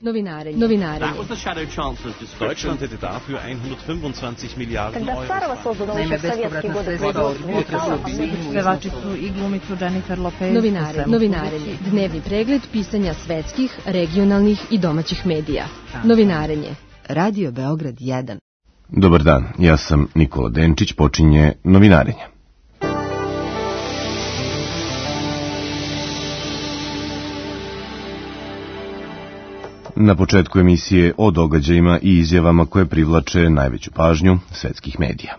Novinarenje. Deutschland hätte dafür 125 Milijarden Kada Sarova sozvao sovjetski vodoprovod. Pevačicu i glumicu Jennifer Lopez. Novinarenje. Dnevni pregled pisanja svetskih, regionalnih i domaćih medija. Novinarenje. Radio Beograd 1. Dobar dan, ja sam Nikola Denčić, počinje Novinarenje. Na početku emisije o događajima i izjavama koje privlače najveću pažnju svetskih medija.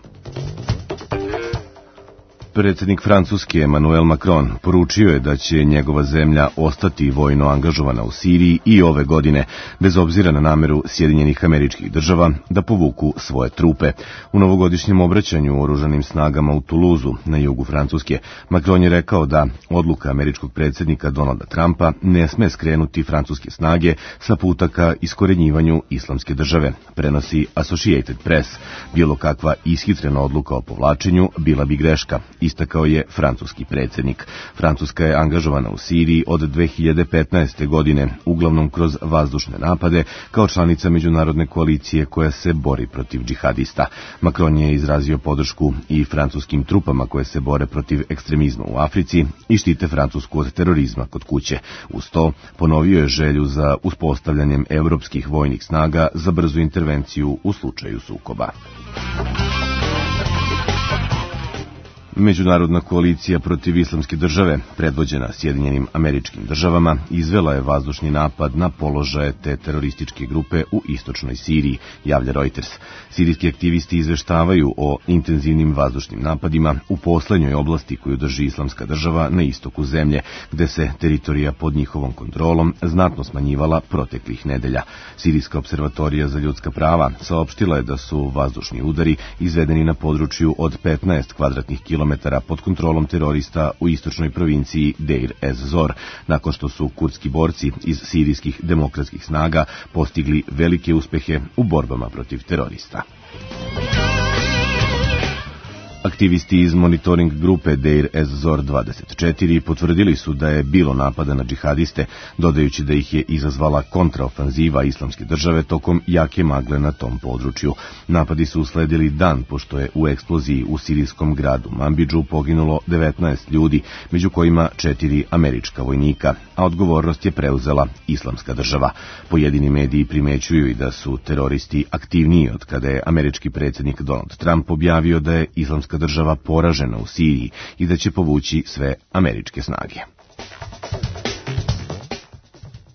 Predsjednik Francuske Emmanuel Macron poručio je da će njegova zemlja ostati vojno angažovana u Siriji i ove godine, bez obzira na nameru Sjedinjenih Američkih Država da povuku svoje trupe. U novogodišnjem obraćanju oružanim snagama u Tuluzu, na jugu Francuske, Macron je rekao da odluka američkog predsjednika Donalda Trumpa ne sme skrenuti francuske snage sa puta ka iskorenjivanju islamske države, prenosi Associated Press. Bilo kakva ishitrena odluka o povlačenju bila bi greška, istakao je francuski predsjednik. Francuska je angažovana u Siriji od 2015. godine, uglavnom kroz vazdušne napade, kao članica međunarodne koalicije koja se bori protiv džihadista. Macron je izrazio podršku i francuskim trupama koje se bore protiv ekstremizma u Africi i štite Francusku od terorizma kod kuće. Uz to ponovio je želju za uspostavljanjem evropskih vojnih snaga za brzu intervenciju u slučaju sukoba. Međunarodna koalicija protiv islamske države, predvođena Sjedinjenim Američkim Državama, izvela je vazdušni napad na položaje te terorističke grupe u istočnoj Siriji, javlja Reuters. Sirijski aktivisti izveštavaju o intenzivnim vazdušnim napadima u poslednjoj oblasti koju drži islamska država na istoku zemlje, gde se teritorija pod njihovom kontrolom znatno smanjivala proteklih nedelja. Sirijska observatorija za ljudska prava saopštila je da su vazdušni udari izvedeni na području od 15 kvadratnih kilometara pod kontrolom terorista u istočnoj provinciji Deir ez-Zor, nakon što su kurdski borci iz sirijskih demokratskih snaga postigli velike uspehe u borbama protiv terorista. Aktivisti iz monitoring grupe Deir ez-Zor 24 potvrdili su da je bilo napada na džihadiste, dodajući da ih je izazvala kontraofanziva islamske države tokom jake magle na tom području. Napadi su usledili dan pošto je u eksploziji u sirijskom gradu Manbidžu poginulo 19 ljudi, među kojima 4 američka vojnika, a odgovornost je preuzela islamska država. Pojedini mediji primećuju i da su teroristi aktivniji od kada je američki predsjednik Donald Trump objavio da je islamska država poražena u Siriji i da će povući sve američke snage.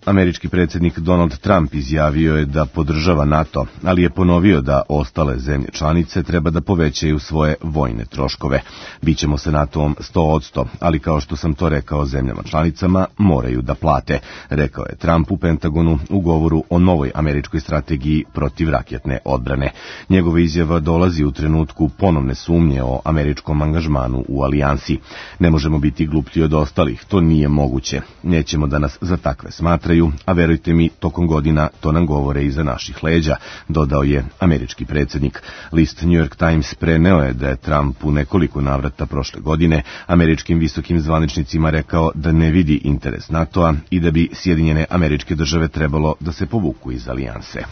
Američki predsjednik Donald Trump izjavio je da podržava NATO, ali je ponovio da ostale zemlje članice treba da povećaju svoje vojne troškove. Bićemo sa NATO-om 100%, ali kao što sam to rekao zemljama članicama, moraju da plate, rekao je Trump u Pentagonu u govoru o novoj američkoj strategiji protivraketne odbrane. Njegova izjava dolazi u trenutku ponovne sumnje o američkom angažmanu u alijansi. Ne možemo biti gluplji od ostalih, to nije moguće. Nećemo da nas za takve smatraju, a verujte mi, tokom godina to nam govore iza naših leđa, dodao je američki predsjednik. List New York Times preneo je da je Trump u nekoliko navrata prošle godine američkim visokim zvaničnicima rekao da ne vidi interes NATO-a i da bi Sjedinjene Američke Države trebalo da se povuku iz alijanse.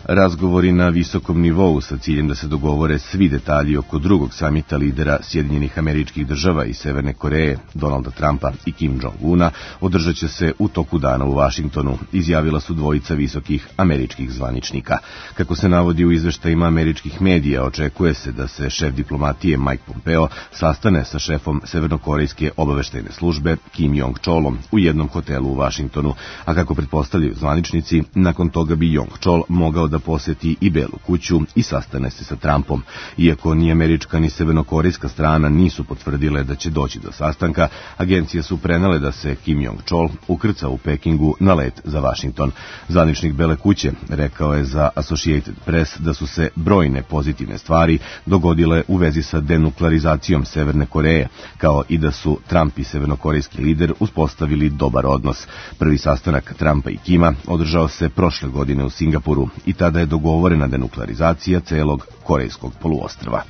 Razgovori na visokom nivou sa ciljem da se dogovore svi detalji oko drugog samita lidera Sjedinjenih Američkih Država i Severne Koreje, Donalda Trumpa i Kim Jong-una, održat će se u toku dana u Vašingtonu, izjavila su dvojica visokih američkih zvaničnika. Kako se navodi u izveštajima američkih medija, očekuje se da se šef diplomatije Mike Pompeo sastane sa šefom severnokorejske obaveštajne službe Kim Jong-cholom u jednom hotelu u Vašingtonu, a kako pretpostavljaju zvaničnici, nakon toga bi Jong-chol mogao da poseti i Belu kuću i sastane se sa Trumpom. Iako ni američka ni severnokorejska strana nisu potvrdile da će doći do sastanka, agencije su prenele da se Kim Jong-chol ukrca u Pekingu na let za Vašington. Zvaničnik Bele kuće rekao je za Associated Press da su se brojne pozitivne stvari dogodile u vezi sa denuklearizacijom Severne Koreje, kao i da su Trump i severnokorejski lider uspostavili dobar odnos. Prvi sastanak Trumpa i Kima održao se prošle godine u Singapuru i tada je dogovorena denuklearizacija celog korejskog poluostrva.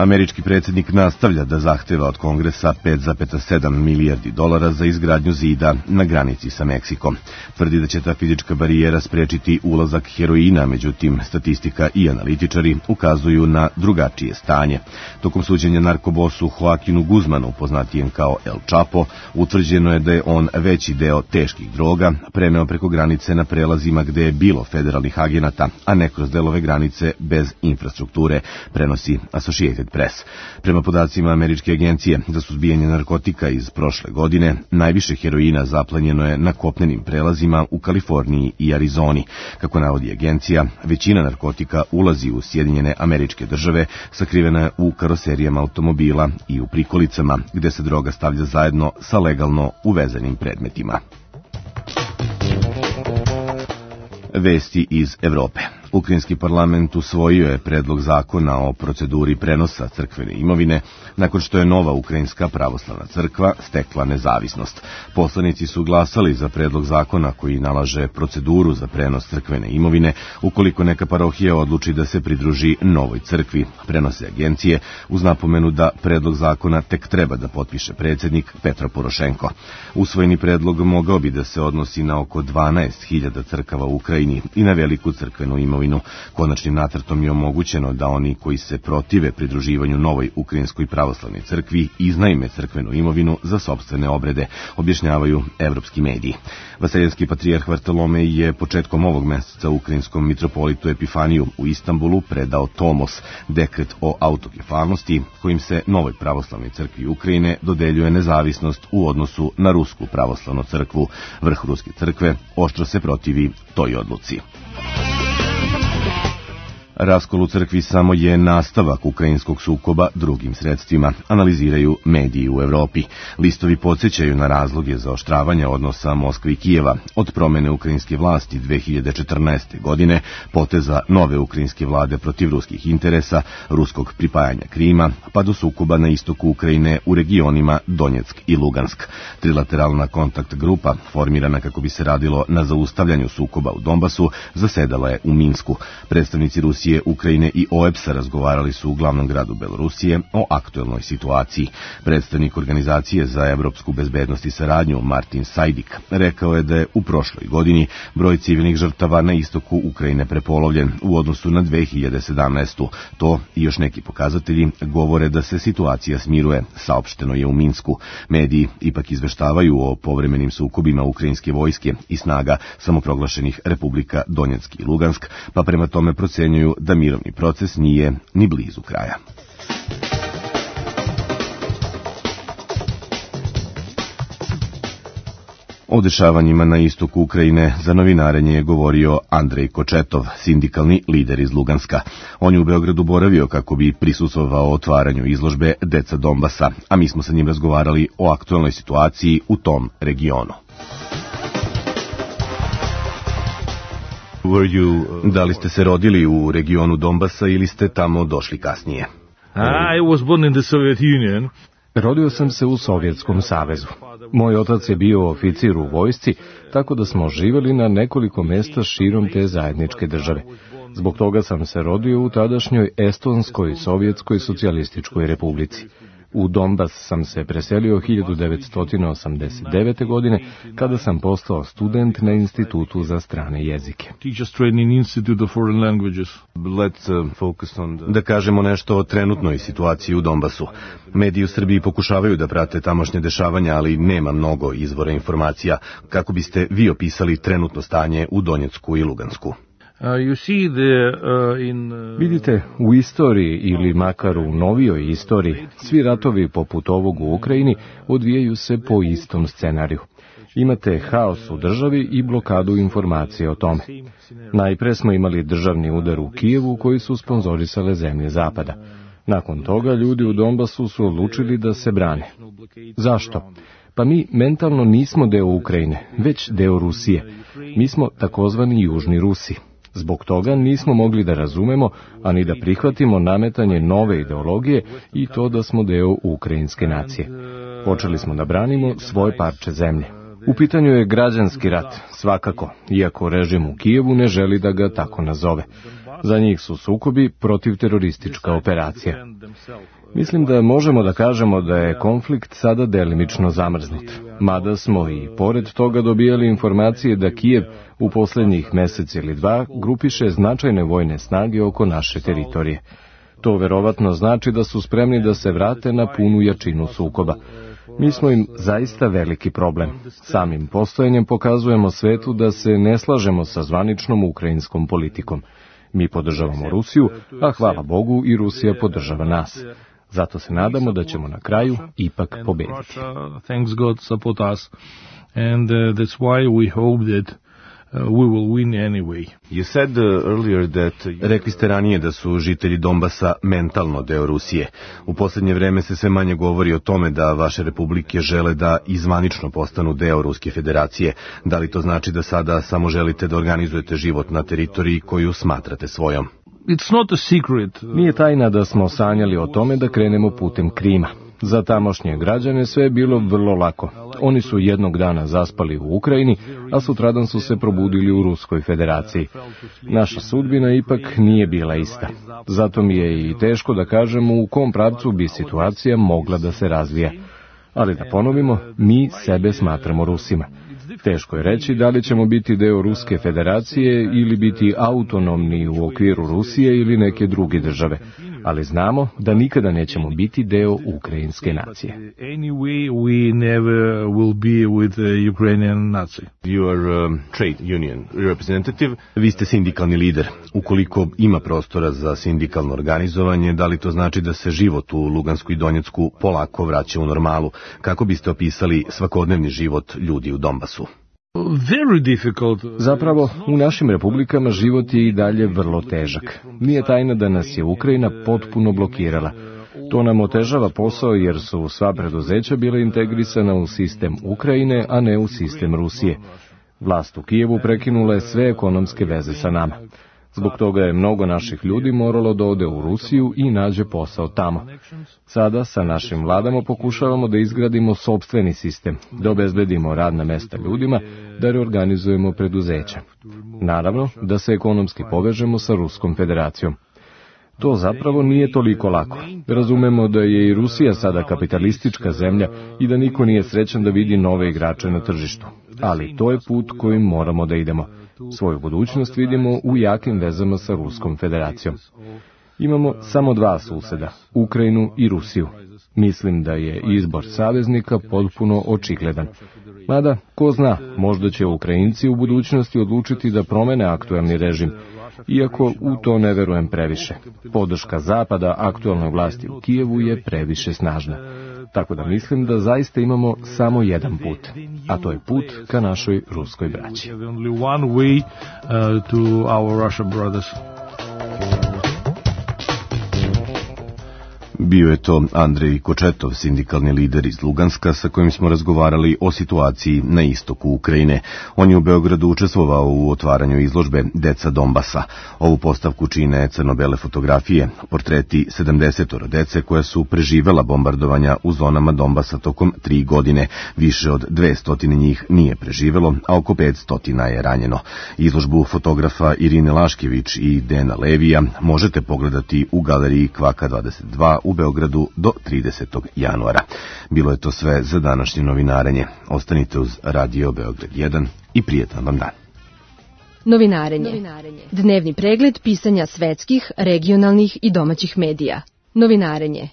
Američki predsjednik nastavlja da zahteva od Kongresa 5,7 milijardi dolara za izgradnju zida na granici sa Meksikom. Tvrdi da će ta fizička barijera sprečiti ulazak heroina, međutim, statistika i analitičari ukazuju na drugačije stanje. Tokom suđenja narkobosu Joaquinu Guzmanu, poznatijem kao El Chapo, utvrđeno je da je on veći deo teških droga preneo preko granice na prelazima gde je bilo federalnih agenata, a ne kroz delove granice bez infrastrukture, prenosi Associated Press. Prema podacima Američke agencije za suzbijanje narkotika iz prošle godine, najviše heroina zaplenjeno je na kopnenim prelazima u Kaliforniji i Arizoni. Kako navodi agencija, većina narkotika ulazi u Sjedinjene Američke Države, sakrivena je u karoserijama automobila i u prikolicama, gde se droga stavlja zajedno sa legalno uvezenim predmetima. Vesti iz Evrope. Ukrajinski parlament usvojio je predlog zakona o proceduri prenosa crkvene imovine nakon što je nova Ukrajinska pravoslavna crkva stekla nezavisnost. Poslanici su glasali za predlog zakona koji nalaže proceduru za prenos crkvene imovine ukoliko neka parohija odluči da se pridruži novoj crkvi, prenose agencije, uz napomenu da predlog zakona tek treba da potpiše predsjednik Petro Porošenko. Usvojeni predlog mogao bi da se odnosi na oko 12.000 crkava u Ukrajini i na veliku crkvenu imovinu. Konačnim nacrtom je omogućeno da oni koji se protive pridruživanju novoj Ukrajinskoj pravoslavnoj crkvi iznajme crkvenu imovinu za sopstvene obrede, objašnjavaju evropski mediji. Vaseljenski patrijarh Vartolomej je početkom ovog meseca ukrajinskom mitropolitu Epifaniju u Istanbulu predao tomos, dekret o autokefalnosti, kojim se novoj pravoslavnoj crkvi Ukrajine dodeljuje nezavisnost u odnosu na Rusku pravoslavnu crkvu. Vrh Ruske crkve oštro se protivi toj odluci. Raskol u crkvi samo je nastavak ukrajinskog sukoba drugim sredstvima, analiziraju mediji u Evropi. Listovi podsjećaju na razloge zaoštravanja odnosa Moskve i Kijeva od promene ukrajinske vlasti 2014. godine, poteza nove ukrajinske vlade protiv ruskih interesa, ruskog pripajanja Krima, pa do sukoba na istoku Ukrajine u regionima Donjeck i Lugansk. Trilateralna kontakt grupa, formirana kako bi se radilo na zaustavljanju sukoba u Donbasu, zasedala je u Minsku. Predstavnici Rusije, Ukrajine i OEBS-a razgovarali su u glavnom gradu Belorusije o aktuelnoj situaciji. Predstavnik Organizacije za evropsku bezbednost i saradnju Martin Sajdik rekao je da je u prošloj godini broj civilnih žrtava na istoku Ukrajine prepolovljen u odnosu na 2017. To i još neki pokazatelji govore da se situacija smiruje, saopšteno je u Minsku. Mediji ipak izveštavaju o povremenim sukobima ukrajinske vojske i snaga samoproglašenih republika Donjeck i Lugansk, pa prema tome procenjuju da mirovni proces nije ni blizu kraja. O dešavanjima na istoku Ukrajine za novinarenje je govorio Andrej Kočetov, sindikalni lider iz Luganska. On je u Beogradu boravio kako bi prisustvovao otvaranju izložbe Deca Donbasa, a mi smo sa njim razgovarali o aktuelnoj situaciji u tom regionu. Da li ste se rodili u regionu Donbasa ili ste tamo došli kasnije? I was born in the Soviet Union. Rodio sam se u Sovjetskom savezu. Moj otac je bio oficir u vojsci, tako da smo živjeli na nekoliko mesta širom te zajedničke države. Zbog toga sam se rodio u tadašnjoj Estonskoj sovjetskoj socijalističkoj republici. U Donbas sam se preselio 1989. godine, kada sam postao student na Institutu za strane jezike. Da kažemo nešto o trenutnoj situaciji u Donbasu. Mediji u Srbiji pokušavaju da prate tamošnje dešavanja, ali nema mnogo izvora informacija. Kako biste vi opisali trenutno stanje u Donjecku i Lugansku? Vidite, u istoriji ili makar u novijoj istoriji, svi ratovi poput ovog u Ukrajini odvijaju se po istom scenariju. Imate haos u državi i blokadu informacije o tome. Najpre smo imali državni udar u Kijevu koji su sponzorisale zemlje Zapada. Nakon toga ljudi u Donbasu su odlučili da se brane. Zašto? Pa mi mentalno nismo deo Ukrajine, već deo Rusije. Mi smo takozvani Južni Rusi. Zbog toga nismo mogli da razumemo, ani da prihvatimo nametanje nove ideologije i to da smo deo ukrajinske nacije. Počeli smo da branimo svoje parče zemlje. U pitanju je građanski rat, svakako, iako režim u Kijevu ne želi da ga tako nazove. Za njih su sukobi protivteroristička operacija. Mislim da možemo da kažemo da je konflikt sada delimično zamrznut, mada smo i pored toga dobijali informacije da Kijev u poslednjih mesec ili dva grupiše značajne vojne snage oko naše teritorije. To verovatno znači da su spremni da se vrate na punu jačinu sukoba. Mi smo im zaista veliki problem. Samim postojanjem pokazujemo svetu da se ne slažemo sa zvaničnom ukrajinskom politikom. Mi podržavamo Rusiju, a hvala Bogu i Rusija podržava nas. Zato se nadamo da ćemo na kraju ipak pobediti. Thanks God support us, and that's why we hope that we will win anyway. You said earlier that... Rekli ste ranije da su žitelji Donbasa mentalno deo Rusije. U posljednje vreme se sve manje govori o tome da vaše republike žele da izvanično postanu deo Ruske federacije. Da li to znači da sada samo želite da organizujete život na teritoriji koju smatrate svojom? It's not a secret. Nije tajna da smo sanjali o tome da krenemo putem Krima. Za tamošnje građane sve je bilo vrlo lako. Oni su jednog dana zaspali u Ukrajini, a sutradan su se probudili u Ruskoj federaciji. Naša sudbina ipak nije bila ista. Zato mi je i teško da kažemo u kom pravcu bi situacija mogla da se razvija. Ali da ponovimo, mi sebe smatramo Rusima. Teško je reći da li ćemo biti deo Ruske federacije ili biti autonomni u okviru Rusije ili neke druge države, ali znamo da nikada nećemo biti deo ukrajinske nacije. Anyway, we never will be with the Ukrainian Nazi. You are trade union representative. Vi ste sindikalni lider. Ukoliko ima prostora za sindikalno organizovanje, da li to znači da se život u Lugansku i Donjecku polako vraća u normalu? Kako biste opisali svakodnevni život ljudi u Donbasu? Zapravo, u našim republikama život je i dalje vrlo težak. Nije tajna da nas je Ukrajina potpuno blokirala. To nam otežava posao jer su sva preduzeća bila integrisana u sistem Ukrajine, a ne u sistem Rusije. Vlast u Kijevu prekinula je sve ekonomske veze sa nama. Zbog toga je mnogo naših ljudi moralo da ode u Rusiju i nađe posao tamo. Sada sa našim vladama pokušavamo da izgradimo sopstveni sistem, da obezbedimo radna mesta ljudima, da reorganizujemo preduzeća. Naravno, da se ekonomski povežemo sa Ruskom federacijom. To zapravo nije toliko lako. Razumemo da je i Rusija sada kapitalistička zemlja i da niko nije srećan da vidi nove igrače na tržištu. Ali to je put kojim moramo da idemo. Svoju budućnost vidimo u jakim vezama sa Ruskom federacijom. Imamo samo dva suseda, Ukrajinu i Rusiju. Mislim da je izbor saveznika potpuno očigledan. Mada, ko zna, možda će Ukrajinci u budućnosti odlučiti da promene aktuelni režim, iako u to ne verujem previše. Podrška Zapada aktuelnoj vlasti u Kijevu je previše snažna. Tako da mislim da zaista imamo samo jedan put, a to je put ka našoj ruskoj braći. Bio je to Andrej Kočetov, sindikalni lider iz Luganska, sa kojim smo razgovarali o situaciji na istoku Ukrajine. On je u Beogradu učestvovao u otvaranju izložbe Deca Donbasa. Ovu postavku čine crno-bele fotografije, portreti 70 dece koja su preživela bombardovanja u zonama Donbasa tokom 3 godine. Više od 200 njih nije preživelo, a oko 500 je ranjeno. Izložbu fotografa Irine Laškević i Dena Levija možete pogledati u galeriji Kvaka 22 u Beogradu do 30. januara. Bilo je to sve za današnje novinarenje. Ostanite uz Radio Beograd 1 i prijetan vam dan. Novinarenje. Dnevni pregled pisanja svetskih, regionalnih i domaćih medija. Novinarenje.